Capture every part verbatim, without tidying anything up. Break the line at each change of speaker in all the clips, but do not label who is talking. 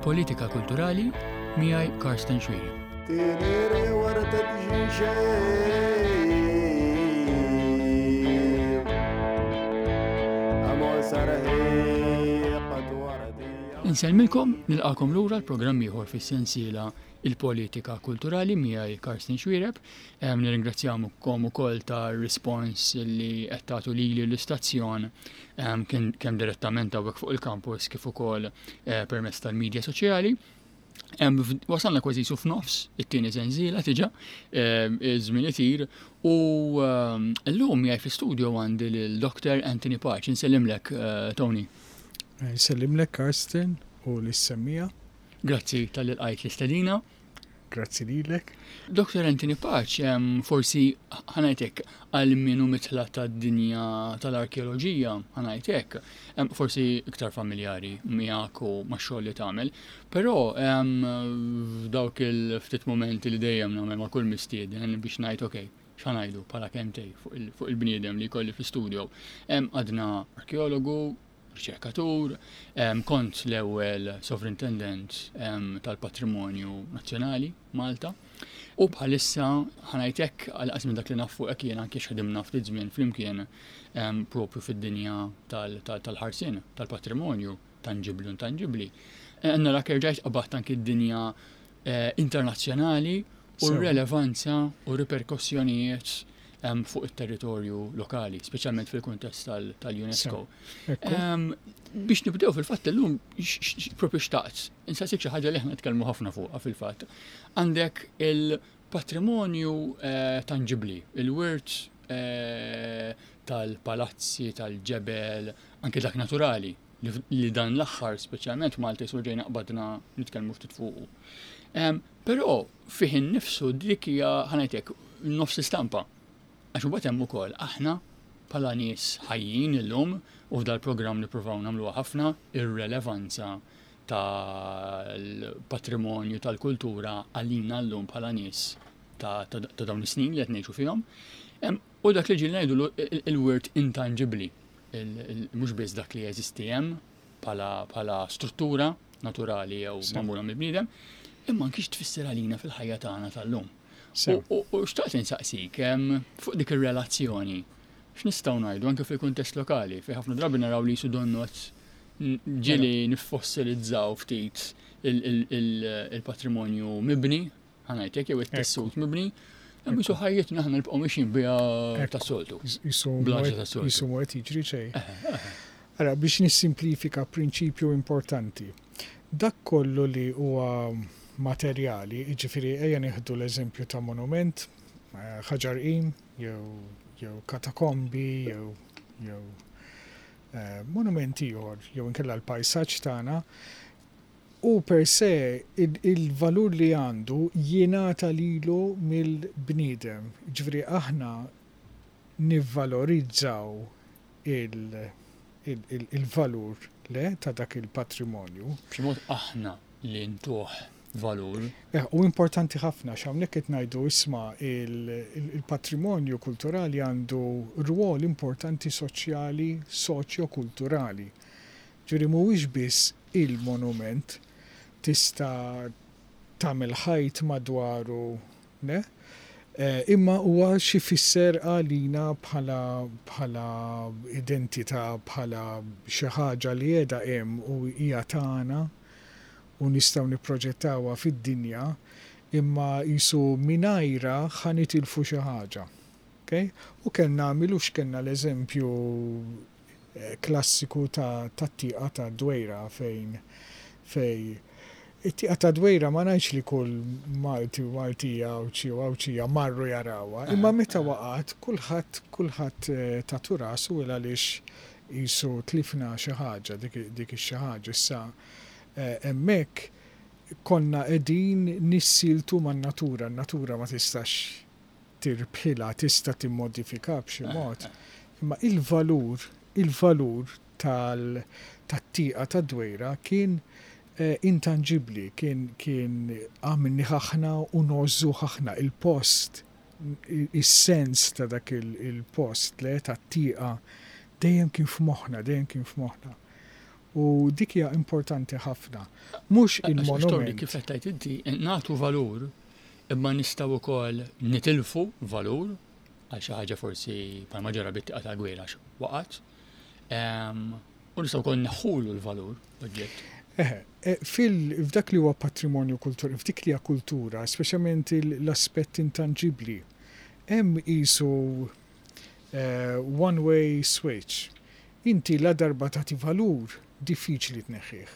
Il-Politika Kulturali miegħi Karsten Xuereb.
تيريري وردة جيشي أمو سرهي قد وردي
Insellmilkom, nilqakom lura l-programm ieħor fis-sensiela Il-Politika Kulturali miegħi Karsten Xuereb. Em, Nirringrazzjakom ukoll tar-rispons li qed tagħtu lili l-istazzjon em, kien kemm direttament hawnhekk fuq il-campus kif ukoll eh, permezz tal-medja soċjali. Em, f- Wasalna kważi su f'nofs it-tieni sensiela diġà, em, iż-żmien itir u em, llum miegħi fl-studio għandi lil Dr. Anthony Pace. Insellimlek, eh, Tony.
Nsellimlek Karsten u lis-semmiegħa.
Grazzi talli lqajt l-istedina.
Grazzi lilek.
Dr. Anthony Pace, em, forsi ħa ngħidlek għal min hu midħla tad-dinja tal-arkeoloġija, ħa ngħidlek, em, forsi iktar familjari miegħek u max-xogħol li tagħmel, però em, f'dawk il-ftit momenti li dejjem nagħmel ma' kull mistieden biex ngħid okej, x'ħa ngħidu bħala kelmtejn fuq il- fuq il-bniedem li jkolli fl-studio. Em, Għadna arkeologu, riċerkatur, em, kont l-ewwel sovrintendent em, tal-Patrimonju Nazzjonali Malta. U bħalissa ħa ngħidlek għal minn dak li naf fuqek jien anke x'ħdimna ftit żmien flimkien em, propju fid-dinja tal- tal- tal-ħarsien, tal-patrimonju, tangibli u intangibbli. Narak erġajt qabadt anke d-dinja eh, internazzjonali u
Sew.
r-relevanza u riperkossjonijiet em, fuq it-territorju lokali, speċjalment fil-kuntest tal- tal-UNESCO.
Ekku.
Em, biex nibdew fil-fatt illum x- x- propju xtaqt, insaqsik xi ħaġa li aħna nitkellmu ħafna fuqha fil-fatt. Għandek il-patrimonju eh, tangibli, il-wirt eh, tal-palazzi, tal-ġebel, anke dak naturali, li, li dan l-aħħar speċjalment Malta jisu ġejna qbadna nitkellmu ftit fuqu. Em, Però fih innifsu dik hija ħa ngħidlek nofs istampa. Għax imbagħad hemm ukoll aħna bħala nies ħajjin illum u f'dal-programm nippruvaw nagħmluha ħafna ir-relevanza tal-patrimonju tal-kultura għalina llum bħala nies ta', ta, ta' dawn is-snin li qed ngħixu fihom. Em, U dak li ġieli ngħidu il-wirt intangibbli, mhux biss dak li jeżisti hemm bħala bħala struttura naturali jew
Sew.
magħmula mill-bniedem, imma anki tfisser għalina fil-ħajja tagħna tal-lum.
Sew.
U u- u xtaqt insaqsik em, fuq dik ir-relazzjoni, x'nistgħu ngħidu anke fil-kuntest lokali, fejn ħafna drabi naraw li jisu donnot ġieli niffossilizzaw ftit il- il- il- il-patrimonju mibni, ħa ngħidlek jew it-tessut mibni, hemm jisu ħajjitna aħna nibqgħu mixjin biha
Ekku.
tas-soltu.
Jisu
Blaġa ta' soltu.
jisu mhu qed jiġri xejn. Ara, biex nissimplifika prinċipju importanti. Dak kollu li huwa materjali, jiġifieri ejja nieħdu l-eżempju ta' monument, eh, ħaġar qim, jew jew katakombi, jew jew eh, monumenti ieħor, jew inkella l-pajsaġġ tagħna, u per se il- il-valur li għandu jingħata lilu mill-bniedem. Ġifieri aħna nivvalorizzaw il- il- il- il-valur le ta' dak il-patrimonju.
B'xi mod aħna li ntuh valur.
Eh, U importanti ħafna x'hawnhekk qed ngħidu isma' il- il- il-patrimonju kulturali għandu rwol importanti soċjali, soċjo-kulturali. Ġifieri mhuwiex biss il-monument tista' tagħmel ħajt madwaru, ne? Eh, imma huwa xi fisser għalina bħala bħala identità, bħala xi ħaġa li qiegħda hemm u hija tagħna u nistgħu nipproġettawha fid-dinja, imma jisu mingħajra ħa nitilfu xi ħaġa. Okay? U kellna milux kellna l-eżempju eh, klassiku ta' tat-tieqa ta' Dwejra fejn fej it-tieqa ta' Dwejra ma ngħidx li kull Malti u Maltija Għawdxi u Għawdxija marru jarawha, imma meta waqgħet kulħadd kulħadd eh, tatu rasu il għaliex jisu tlifna xi ħaġa dik dik ix-xi ħaġa issa eh, hemmhekk konna qegħdin nissiltu man-natura, n-natura ma tistax tirbħilha, tista' timmodifika b'xi mod. Imma il-valur, il-valur tal tat-tieqa ta' Dwejra kien eh, intangibli, kien kien għamilni ħaħna u ngħożżu ħaħna il-post, is-sens ta' dak il-post le tat-tieqa dejjem kien f'moħħna, dejjem kien f'moħħna. U dik hija importanti ħafna. Mhux il-monument.
Kif qed tgħid inti, nagħtu valur, imma nistgħu wkoll nitilfu valur għal xi ħaġa forsi bħalma ġara bit-tieqa tal-Gwejla waqgħet. U nistgħu wkoll neħħulu l-valur oġġett.
Eħe, f'dak li huwa patrimonju kulturali, f'dik li hija kultura, speċjalment l-aspett intangibbli, hemm qisu one-way switch. Inti la darba tagħti valur, diffiċli tneħħih.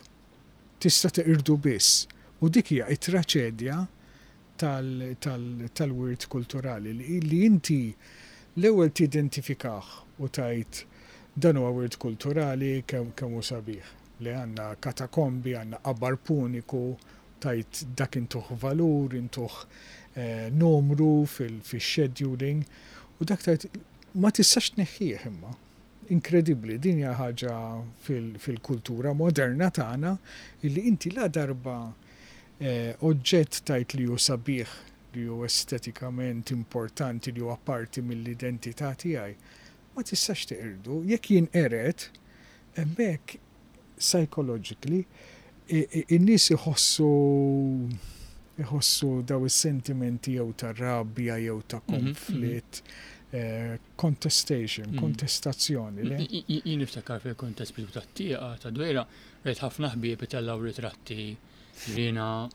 Tista' teqirdu biss. U dik hija t-traċedja tal-wirt kulturali li inti l-ewwel tidentifikah u tgħid dan huwa wirt kulturali kemm hu sabiħ. Li għandna katakombi, għandna qabar puniku, tajt dak intuh valur, intuh numru fil-scheduling, u dak tajt ma tistax tneħħih imma. Inkredibbli, din hija ħaġa fil-kultura moderna tagħna illi inti la darba oġġett tajt li hu sabiħ, li hu estetikament importanti, li huwa parti mill-identità tiegħi, ma tistax teqirdu. Jekk jinqered, hemmhekk psychologically, in-nies iħossu iħossu daw is-sentimenti jew ta' rabja jew ta' konflitt, contestation, kontestazzjoni.
Jien niftakar fil-kontest bidu tat-tieqa ta' Dwejra, rajt ħafna ħbieb itellgħu ritratti jiena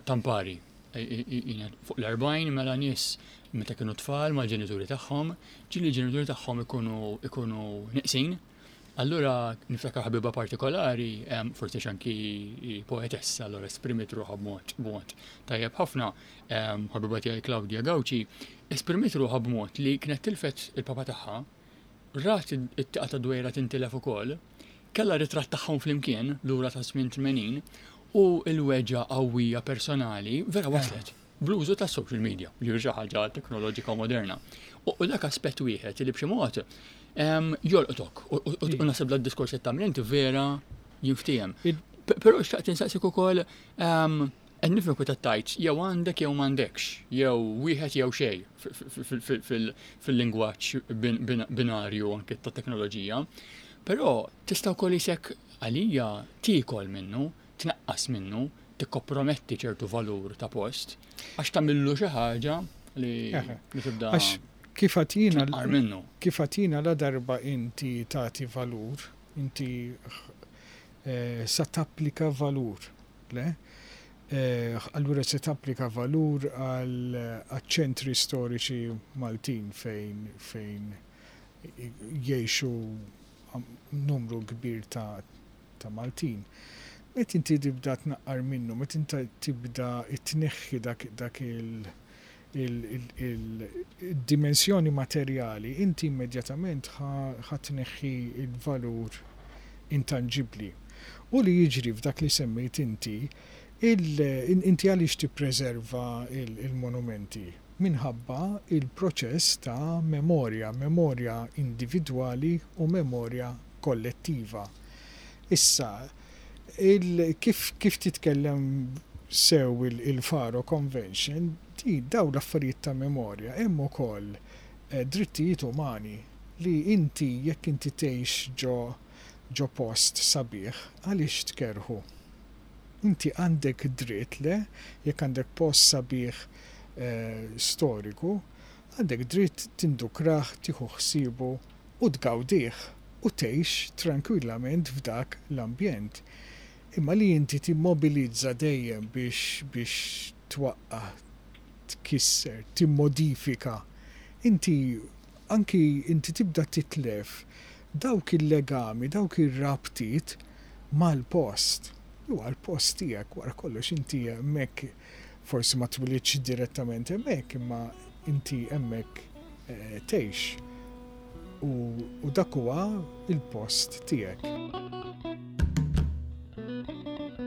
tampari. Jiena fuq l-erbgħin mela nies meta kienu tfal mal-ġenituri tagħhom, ġieli l-ġenituri tagħhom ikunu ikunu neqsin. Allura niftakar ħabiba partikolari, forsi anki poetessa, allura esprimiet ruħha b'mod b'mod tajjeb ħafna, ħabiba tiegħi Claudia Gauci, esprimiet ruħha b'mod li kienet tilfet il-papa tagħha, rat it-tieqa ta' Dwejra tintilef ukoll, kellha ritratt tagħhom flimkien lura ta' żmien tmenin, u l-weġgħa qawwija personali vera waslet bl-użu ta' social media, li xi ħaġa teknoloġika moderna. U dak aspett wieħed li b'xi mod jolqtok, u naħseb da diskors li tagħmel inti vera jinftiehem. Però xtaqt insaqsik ukoll, qed nifhem kif tgħid jew għandek jew m'għandekx, jew wieħed jew xejn fil-lingwaġġ binarju anke ta' teknoloġija. Però tista' wkoll isek għalija tiekol minnu, tnaqqas minnu, tikkomprometti ċertu valur ta' post, għax tagħmillu xi ħaġa li tibda.
Kif għatina, kif għatina la darba inti tagħti valur, inti eh, sa tapplika valur, le? Eh, allura se tapplika valur għal ċentri storiċi Maltin fejn fejn jgħixu numru kbir ta', ta' Maltin. Meta inti tibda tnaqqar minnu, meta inti tibda tneħħi dak, dak il- il-dimensjoni materjali, inti immedjatament ħa tneħħi il-valur intangibli. U li jiġri f'dak li semmejt inti, inti għaliex tippreserva il-monumenti? Minħabba il-proċess ta' memorja, memorja individwali u memorja kollettiva. Issa, kif, kif titkellem sew il-Faro Convention, di daw l-affarijiet ta' memorja hemm ukoll drittijiet umani li inti jekk inti tgħix ġo ġo post sabiħ, għaliex tkerħu? Inti għandek dritt le, jekk għandek post sabiħ eh, storiku, għandek dritt tindukrah, tieħu ħsiebu u tgawdih u tgħix tranquillament f'dak l-ambjent. Imma li inti timmobilizza dejjem biex biex twaqqa', tkisser, timmodifika, inti anki inti tibda titlef dawk il-legami, dawk ir-rabtiet mal-post. Huwa l-post tiegħek wara kollox, inti hemmhekk forsi ma twilidx direttament hemmhekk, imma inti hemmhekk eh, tgħix. U, u dak huwa il-post tiegħek.
Thank you.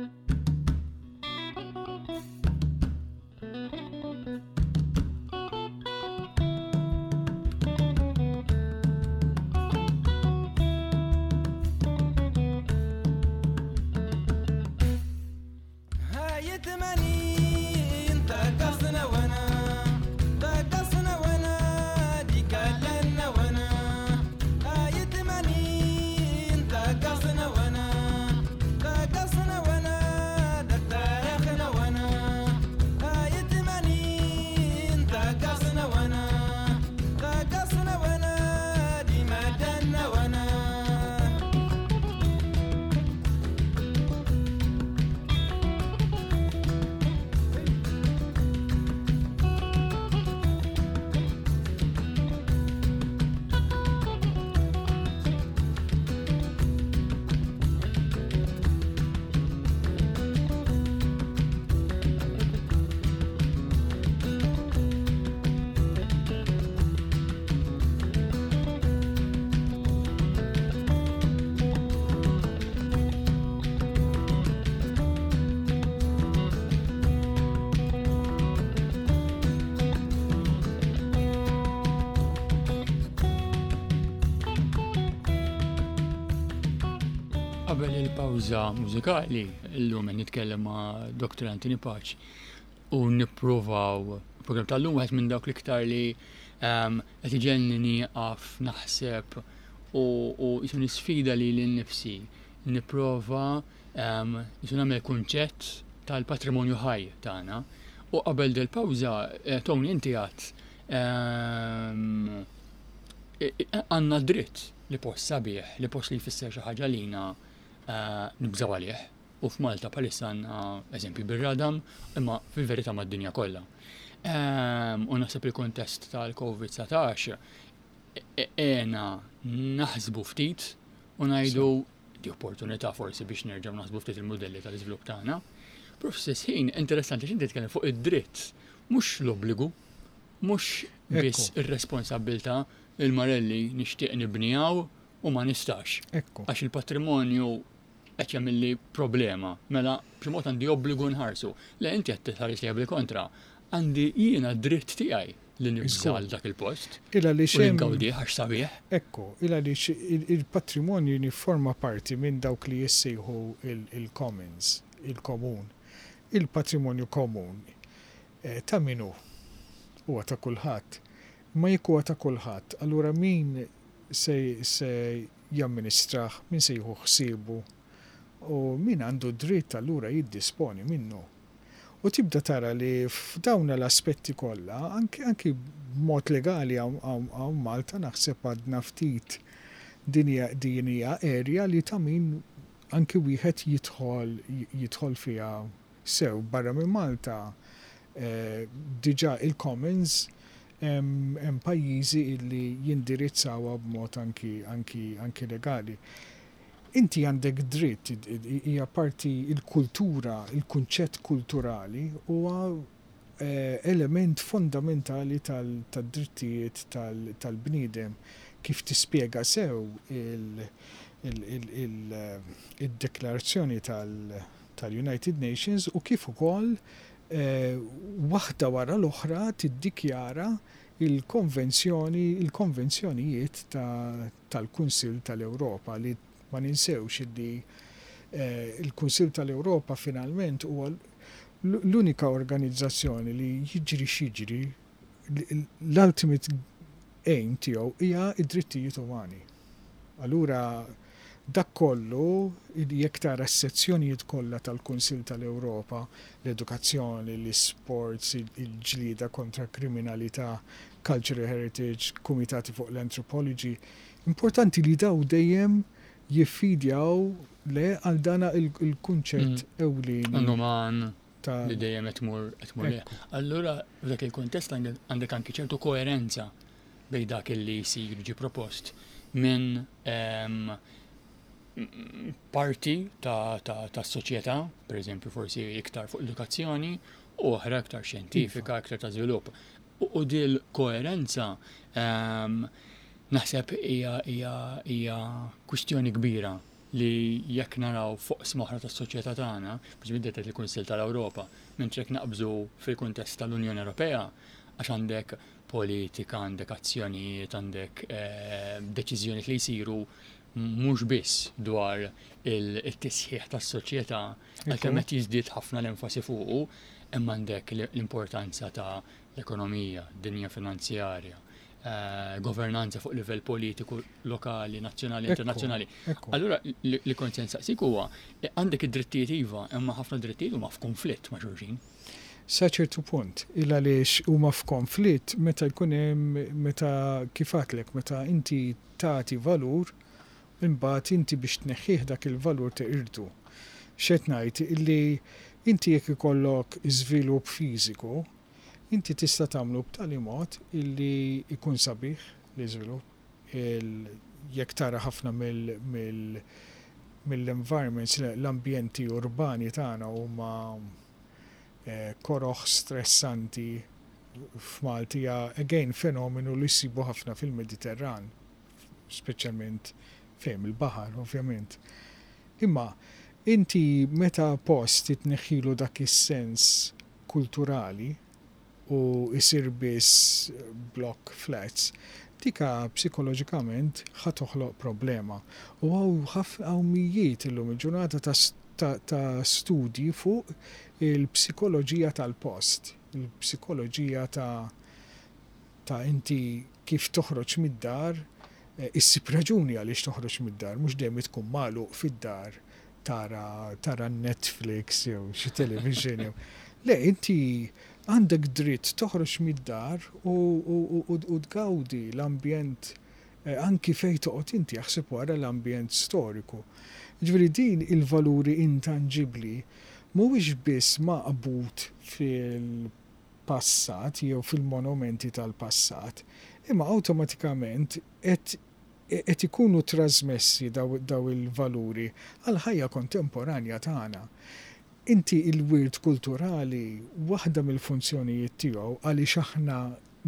Qabel il-pawża mużikali, illum qed nitkellem ma' Doctor Anthony Pace u nippruvaw program tal-lum wieħed minn dawk l-iktar li ehm, qed iġegħelni nieqaf naħseb u u jisu nisfida lili nnifsi nipprova ehm, jisu nagħmel kunċett tal-patrimonju ħaj tagħna. U qabel del-pawża, eh, Tony, inti għedt ehm, għandna dritt li post sabiħ, li post li jfisser xi ħaġa lina eh, nibżaw għalih. U f'Malta bħalissa għandna eżempju bir-radam, imma fil-verità mad-dinja kollha. Ehm, U naħseb il-kontest tal-Covid dsatax għena naħsbu ftit u ngħidu di opportunità forsi biex nerġgħu naħsbu ftit il-modelli tal-iżvilupp tagħna. Però fl-istess ħin interessanti x'inti titkellem fuq id-dritt, mhux l-obbligu, mhux biss
Ekku.
ir-responsabbiltà. Il-Marelli nixtieq nibnijaw u ma nistax.
Ekku.
Għax il-patrimonju qed jagħmilli problema, mela b'xi mod għandi obbligu nħarsu. Le, inti qed tħares li bil-kontra. Għandi jiena dritt tiegħi li nibża
Żgur.
dak il-post
Illa li
u li
xem
ngawdih għax sabiħ.
Ekku, illa li il-patrimonju jifforma parti minn dawk li jissejħu il-commons, il-komun. Il-patrimonju komun eh, ta' min hu? Huwa ta' kulħadd. Ma jekk huwa ta' kulħadd, allura min se, se jamministrah, min se jieħu ħsiebu u min għandu dritt allura jiddisponi minnu? U tibda tara li f'dawn l-aspetti kollha, anki anki b'mod legali hawn hawn- hawn Malta naħseb għadna ftit din hija din hija area li ta' min anki wieħed jidħol jidħol fiha sew. Barra minn Malta eh, diġà il-commons hemm hemm pajjiżi illi jindirizzawha b'mod anki anki anki legali. Inti għandek dritt, hija parti il-kultura, il-kunċett kulturali huwa eh, element fondamentali tal-drittijiet tal-bniedem kif tispjega sew il-deklarazzjoni tal-United Nations u kif ukoll eh, waħda wara l-oħra tiddikjara il-konvenzjoni, il-konvenzjonijiet tal-Kunsill tal-Ewropa, li ma ninsewx illi eh, il-Kunsill tal-Ewropa finalment huwa l-unika organizzazzjoni li jiġri x'jiġri l-ultimate aim tiegħu hija id-drittijiet umani. Allura dak kollu, jekk tara s-sezzjonijiet kollha tal-Kunsill tal-Ewropa, l-edukazzjoni, l-sports, il-ġlida kontra kriminalità, cultural heritage, kumitati fuq l-anthropology, importanti li daw dejjem jiffidjaw le għal dana il-kunċett mm. ewlieni.
Għandu li dejjem qed tmur qed tmur. Allura f'dak il-kuntest għandek anki ċertu koerenza bejn dak li jsir ġi propost minn parti ta', ta, ta soċjetà, per eżempju forsi iktar fuq edukazzjoni, u oħra iktar xjentifika, iktar ta' żvilupp. U dil koerenza naħseb hija hija kwistjoni kbira li jekk naraw fuq oqsma oħra tas-soċjetà tagħna, biex biddet il-Kunsill tal-Ewropa, mentri jekk naqbżu fil-kuntest tal-Unjoni Ewropea, għax għandek politika, għandek azzjonijiet, għandek eh, deċiżjonijiet li jsiru mhux biss dwar il-tisħiħ tas-soċjetà, għalkemm qed jiżdied ħafna l-enfasi fuqu, imma għandek l-importanza ta' l-ekonomija, dinja finanzjarja, eh, governanza fuq livell politiku lokali, nazzjonali, internazzjonali. Allura li kont se nsaqsik huwa eh, għandek id-drittijiet iva, imma ħafna drittijiet huma f'konflitt ma' xulxin.
Sa ċertu punt, il għaliex huma f'konflitt meta jkun hemm, meta kif għedtlek, meta inti tagħti valur, imbagħad inti biex tneħħih dak il-valur teqirdu. X'qed ngħid illi inti jekk ikollok iżvilupp fiżiku, inti tista' tagħmlu b'tali mod illi jkun sabiħ l-iżvilupp. Jekk tara ħafna mill mill-environments, l-ambjenti urbani tagħna huma eh, koroħ, stressanti. F'Malti hija again fenomenu li jsibu ħafna fil-Mediterran, speċjalment fejn il-baħar, ovvjament. Imma inti meta post titneħħilu dak is-sens kulturali u isir biss block flats, Dik psikoloġikament ħa toħloq problema. U hawn ħafna, hawn mijiet illum il-ġurnata ta' ta', ta studji fuq il-psikoloġija tal-post, il-psikoloġija ta' ta' inti kif toħroġ mid-dar, eh, issib raġuni għaliex toħroġ mid-dar, mhux dejjem tkun magħluq fid-dar tara, tara Netflix jew xi television jew. Le, inti għandek dritt toħroġ mid-dar u, u, u, u tgawdi l-ambjent eh, anki fejn toqgħod inti, jaħseb wara l-ambjent storiku. Ġifieri din il-valuri intangibbli mhuwiex biss maqbud fil-passat jew fil-monumenti tal-passat, imma awtomatikament qed qed ikunu trasmessi daw, daw il-valuri għal ħajja kontemporanja tagħna. Inti il-wirt kulturali, waħda mill-funzjonijiet tiegħu għaliex aħna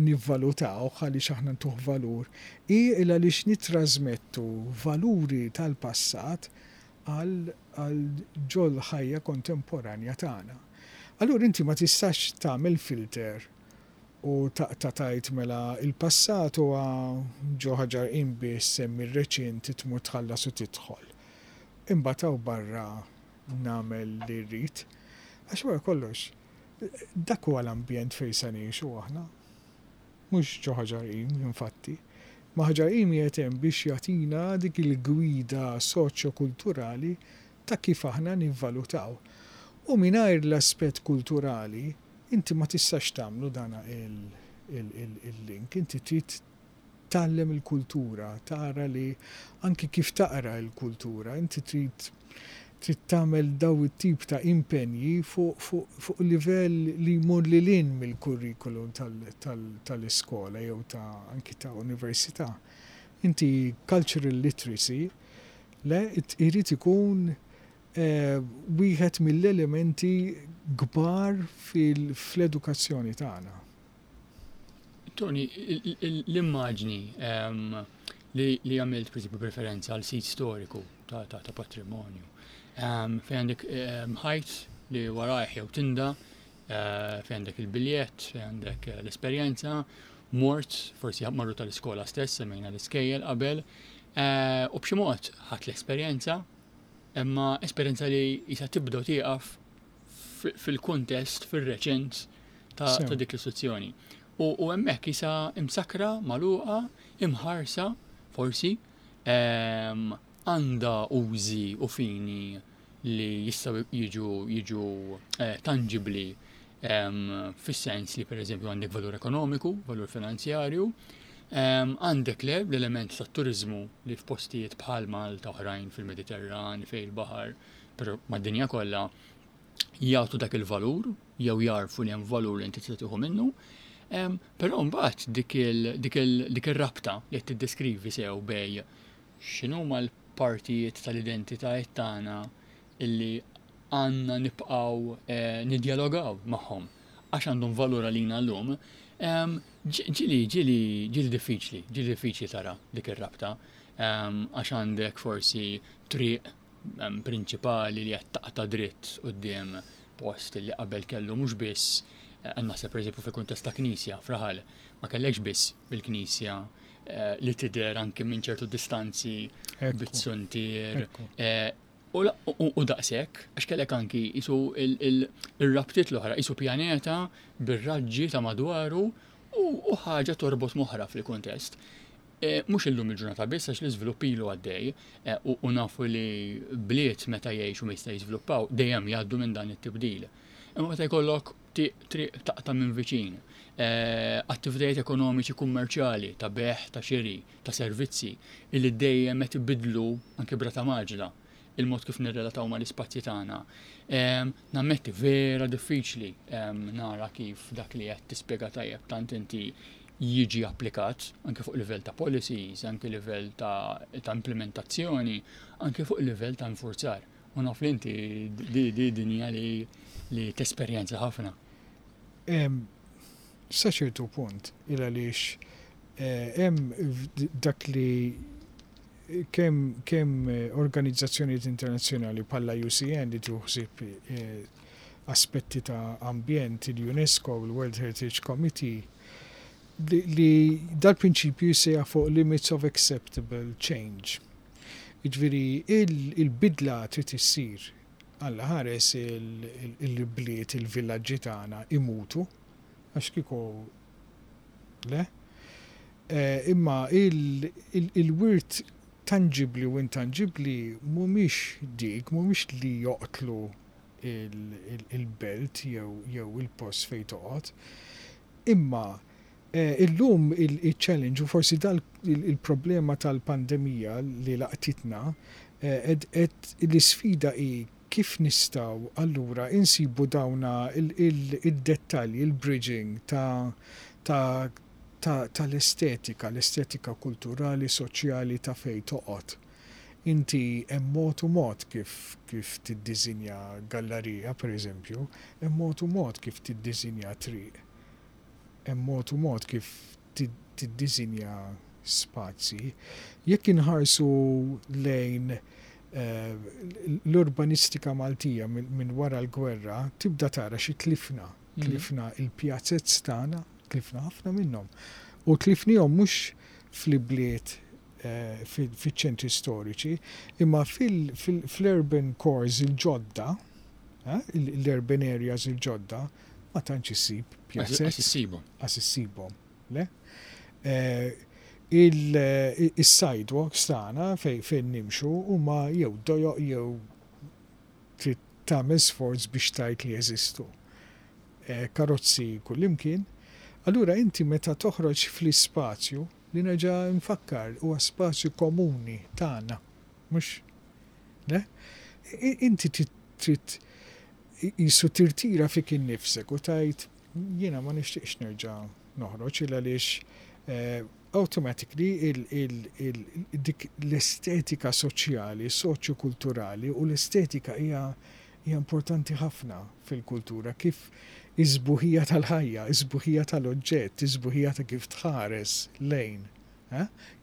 nivvalutaw, għaliex aħna ntuh valur, hi il għaliex nitrasmettu valuri tal-passat għal għal ġol ħajja kontemporanja tagħna. Allura inti ma tistax tagħmel filter u taqta' tgħid mela il-passat huwa ġo Ħaġar Qim biss, hemm ir-reċint tmur tħallas u tidħol. Imbagħad hawn barra nagħmel li rrid. Għax wara kollox, dak huwa l-ambjent fejn se ngħixu aħna. Mhux ġo Ħaġar Qim, infatti. Ma Ħaġar Qim qiegħed hemm biex jagħtina dik il-gwida soċjo-kulturali ta' kif aħna nivvalutaw. U mingħajr l-aspett kulturali, inti ma tistax tagħmlu dana il-link, inti trid tgħallem il-kultura, tara li anki kif taqra il-kultura, inti trid trid tagħmel daw it-tip ta' impenji fuq fu, fu livell li jmur lil hinn mill-kurrikulum tal-iskola jew ta' anki ta' università. Inti cultural literacy le irid ikun eh, wieħed mill-elementi kbar fil-edukazzjoni tagħna.
Tony, l-immaġni li għamilt per esempio preferenza għal sit storiku ta', ta, ta patrimonju, fejn għandek ħajt li warajh jew tinda, eh, fejn għandek il-biljett, fejn għandek l-esperjenza, mort, forsi marru tal-iskola stess, semmejna l-iskejjel qabel, eh, u b'xi mod ħadt l-esperjenza, imma esperjenza li jisa tibda u tieqaf fil-kuntest, fil-reċent ta', ta' dik l-istituzzjoni. U, u hemmhekk jisa imsakra, magħluqa, imħarsa, forsi, għandha użi u fini li jistgħu jiġu jiġu eh, tangibli, fis-sens li per eżempju għandek valur ekonomiku, valur finanzjarju, għandek le l-element ta' turizmu li f'postijiet bħal Malta, oħrajn fil-Mediterran, fejn il-baħar, però mad-dinja kollha jagħtu dak il-valur jew jarfu li hemm valur li inti tista' tieħu minnu. Però mbagħad dik dik ir-rabta li qed tiddeskrivi sew bej x'inhuma l-partijiet tal-identitajiet tagħna illi għandna nibqgħu eh, nidjalogaw magħhom għax għandhom valur għalina llum, ġieli ġieli ġieli diffiċli, ġieli diffiċli tara dik ir-rabta, għax għandek forsi triq prinċipali li qed taqta' dritt quddiem post li qabel kellu mhux biss, eh, naħseb pereżempju fil-kuntest ta' knisja f'raħal, ma kellekx biss bil-knisja eh, li tidher anke minn ċertu distanzi bit-suntier. Eh, u daqshekk, għax kellek anki jisu il-rabtiet l-oħra, jisu pjaneta bir-raġġi ta' madwaru u ħaġa torbot moħra fil-kuntest. Mhux illum il-ġurnata biss, għax l-iżvilupp ilu għaddej u nafu li bliet meta jgħixu ma jista' jiżviluppaw dejjem jgħaddu minn dan it-tibdil. Imma meta jkollok triq taqta' minn viċin, attivitajiet ekonomiċi kummerċjali ta' beħ, ta' xiri, ta' servizzi illi dejjem qed ibidlu anke brata maġla il-mod kif nirrelataw mal-ispazji tagħna. Nammetti vera diffiċli nara kif dak li qed tispjega tajjeb tant inti jiġi applikat anke fuq livell ta' policies, anke livell ta', ta implementazzjoni, anke fuq livell ta' infurzar. U naf li inti di, di dinja li, li tesperjenza ħafna.
Sa ċertu punt, il għaliex eh, hemm dak li kemm kemm organizzazzjonijiet internazzjonali bħala I U C N li tuħsib eh, aspetti ta' ambjent, il-UNESCO, il-World Heritage Committee, li, li dal-prinċipju jissejjaħ fuq limits of acceptable change. Jiġifieri il-bidla trid issir. Alla ħares il-bliet, il-villaġġi tagħna imutu, għax kieku le. Eh, imma il-wirt tangibli u intangibli mhumiex dik, mhumiex li joqtlu il-belt jew il-post fejn toqgħod. Imma eh, illum il-challenge u forsi dal il-problema tal-pandemija li laqtitna, eh, l-isfida hi kif nistgħu allura insibu dawna il-dettalji, il-bridging ta' ta' tal-estetika, l-estetika kulturali, soċjali ta' fej toqgħod. Inti hemm mod u mod kif kif tiddisinja gallerija, per eżempju, hemm mod u mod kif tiddisinja triq. Hemm mod u mod kif tiddisinja spazji. Jekk inħarsu lejn eh, l-urbanistika Maltija minn wara l-gwerra, tibda tara xi tlifna. Mhm. Tlifna il-pjazzez tagħna, tlifna ħafna minnhom. U tlifnihom mhux fl-ibliet eh, fiċ-ċentri storiċi, imma fil-urban cores il-ġodda, eh, l-urban areas il-ġodda, ma tantx issib
pjazzez. Għax issibhom.
Għax issibhom, le? Il-sidewalks tagħna fejn nimxu huma jew dojoq jew trid tagħmel sforz biex tgħid li jeżistu. Karozzi kullimkien. Allura inti meta toħroġ fl-ispazju, li nerġa' nfakkar huwa spazju komuni tagħna, mhux le? Inti trid jisu tirtira fik innifsek u tgħid jiena ma nixtieqx nerġa' noħroġ il għaliex automatically dik l-estetika soċjali, soċjokulturali, u l-estetika hija hija importanti ħafna fil-kultura, kif is-sbuħija tal-ħajja, is-sbuħija tal-oġġett, is-sbuħija ta' kif tħares lejn,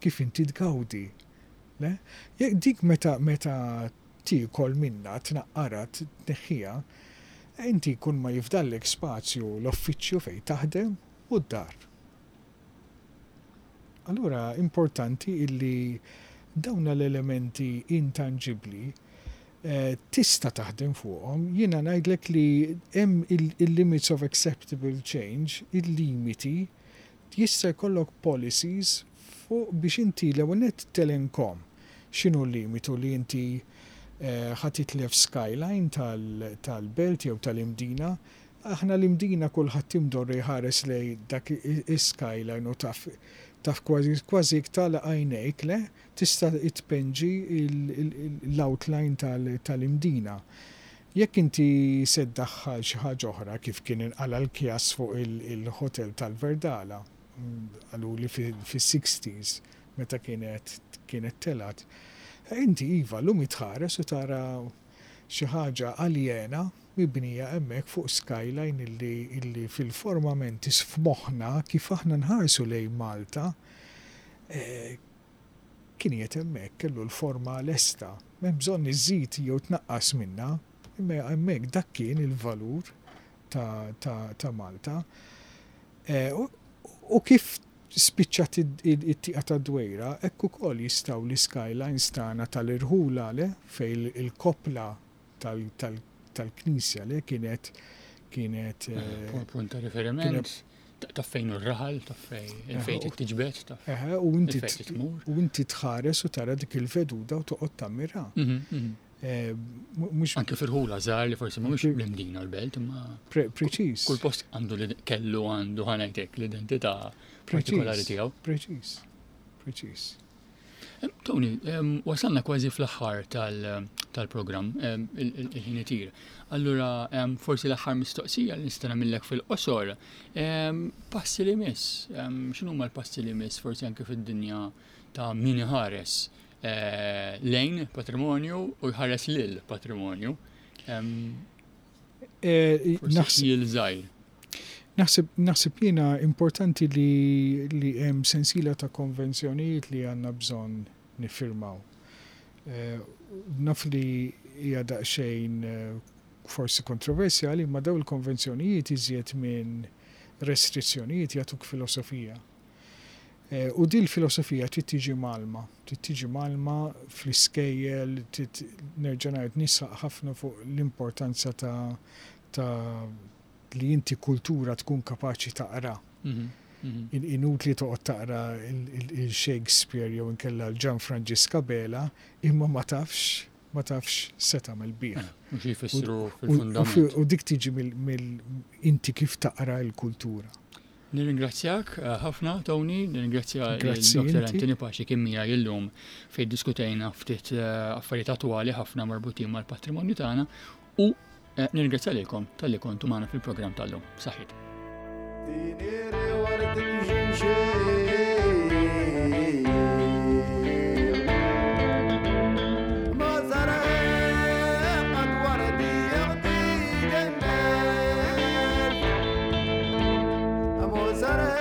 kif inti tgawdi. Le? Dik meta meta tiekol minna, tnaqqara, tneħħiha, inti kun ma jifdallek spazju l-uffiċċju fejn taħdem u d-dar. Allura importanti illi dawna l-elementi intangibli eh, tista' taħdem fuqhom. Jiena ngħidlek li hemm il-limits of acceptable change, il-limiti, jista' jkollok policies fuq biex inti l-ewwel nett telenkhom x'inhu l-limitu li inti eh, ħa titlef skyline tal-belt jew tal-Imdina. Aħna l-Imdina kulħadd imdorri jħares lej dak is-skyline u taf taf kważi kważi tagħlaq għajnejk, le, tista' tpinġi l-outline tal-Imdina. Jekk inti se ddaħħal xi ħaġa oħra, kif kien inqala l-kjas fuq il-hotel tal-Verdala, għalu li fis-sixties meta kienet kienet telat. Inti iva llum tħares u tara xi ħaġa aljena mibnija hemmhekk fuq skyline illi, illi fil-forma mentis f'moħħna kif aħna nħarsu lejn Malta eh, kien qiegħed hemmhekk, kellu l-forma lesta. M'hemm bżonn iżid jew tnaqqas minna, imma hemmhekk dak kien il-valur ta', ta, ta' Malta. Eh, u, u kif spiċċat it-tieqa ta' Dwejra, hekk ukoll jistgħu l-skylines tagħna tal-irħula, le, fejn il-kopla tal-knisja, le, kienet kienet
eh, punt ta' riferiment ta' fejn u r-raħal, ta' fejn fejn tiġbed, ta'
u inti u inti tħares u tara dik il-veduta u toqgħod tammira.
Mhm, mhm. Eh, anke fil-ħula żgħar li forsi mhux l-Imdina l-belt, imma
preċiż.
Kull post għandu li kellu għandu, ħa ngħidlek, l-identità partikolari tiegħu.
Preċiż. Preċiż.
Tony, wasalna kważi fl-aħħar tal-programm, il-ħin itir. Allura, forsi l-aħħar mistoqsija li nista' nagħmillek fil-qosor, passi li miss, x'inhuma l-passi li miss forsi anke fid-dinja ta' min iħares eh, lejn patrimonju u jħares lil patrimonju?
Eh,
Naħseb żgħir.
Naħseb naħseb jiena importanti li li hemm sensiela ta' konvenzjonijiet li għandna bżonn niffirmaw. Eh, naf li hija daqsxejn eh, forsi kontroversjali, ma daw il-konvenzjonijiet iżjed minn Restrizzjonijiet jagħtuk filosofija. Eh, u din il-filosofija trid tiġi mgħallma, trid tiġi mgħallma fl-iskejjel, trid nerġa' ngħid nisħaq ħafna fuq l-importanza ta' ta' li inti kultura tkun kapaċi taqra.
Mhm, mhm.
In- Inutli toqgħod taqra il-Shakespeare jew inkella l-Gian Franġisk Abela, imma ma tafx ma tafx se tagħmel bih.
U xi jfissru
U-
fil-fundament.
U dik tiġi mill mill- inti kif taqra l-kultura.
Nirringrazzjak eh, ħafna, Tony, nirringrazzja
Grazzi
l-Dottor
inti.
Anthony Pace kien miegħi illum fejn diskutejna ftit eh, affarijiet attwali ħafna marbutin mal-patrimonju tagħna u eh, nirringrazzja lilkom talli kontu magħna fil-programm tal-lum. Saħħit.
تينيري ورد الجنشي ما زرع قد وردي يغدي جنات مو زرع.